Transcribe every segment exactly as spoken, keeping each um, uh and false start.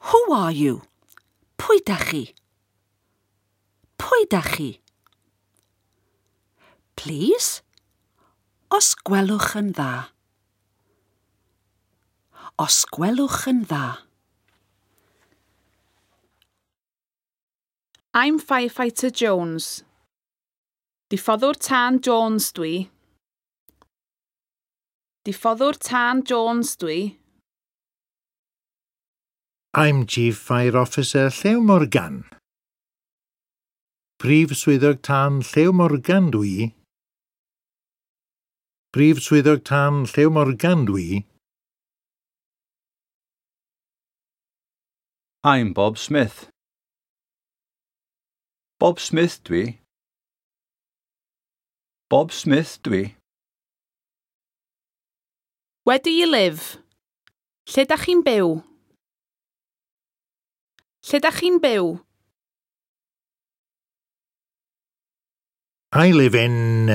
Who are you? Pwy dach chi? Pwy dach chi? Please? Os gwelwch yn dda. Os gwelwch yn dda. I'm firefighter Jones. Diffoddwr tân Jones dwi. Diffoddwr tân Jones dwi. I'm Chief Fire Officer Llew Morgan. Prif Swyddog Tân Llew Morgan dwi. Prif Swyddog Tân Llew Morgan dwi. I'm Bob Smith. Bob Smith dwi. Bob Smith dwi. Where do you live? Lle dach chi'n byw? Lle dach chi'n byw? I live in...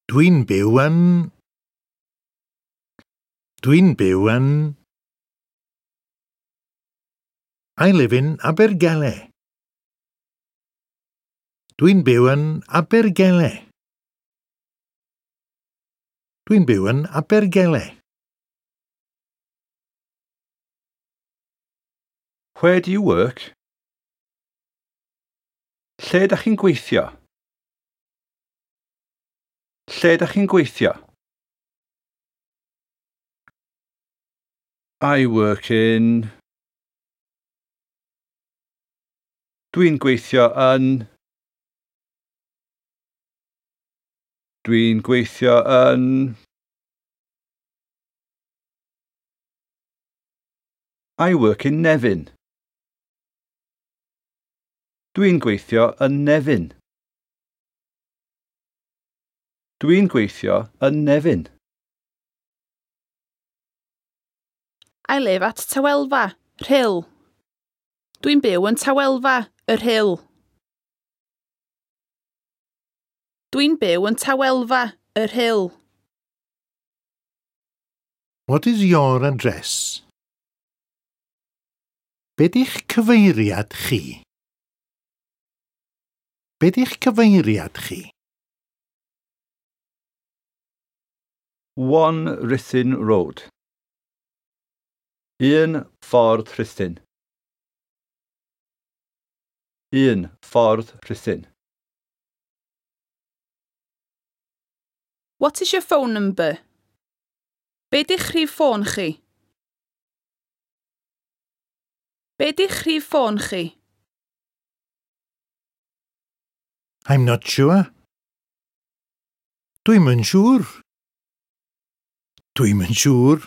Dwi'n byw yn... Dwi'n byw yn... I live in Abergele. Dwi'n byw yn Abergele. Dwi'n byw yn Abergele. Where do you work? Lle dach chi'n gweithio? Lle dach chi'n gweithio? I work in... Dwi'n gweithio yn... Dwi'n gweithio yn... I work in Nefyn. Dwi'n gweithio yn Nefyn. Dwi'n gweithio yn Nefyn. I live at Tawelfa, Rhyl. Dwi'n byw yn Tawelfa, y Rhyl. Dwi'n byw yn Tawelfa, y Rhyl. What is your address? Be di'ch cyfeiriad chi? Be di'ch cyfeiriad chi? One Ruthin Road. Un ffordd Rhuthun. Un ffordd Rhuthun. What is your phone number? Be di'ch rhif ffôn chi? Be di'ch rhif ffôn chi? I'm not sure. Dwi'm yn siŵr. Dwi'm yn siŵr.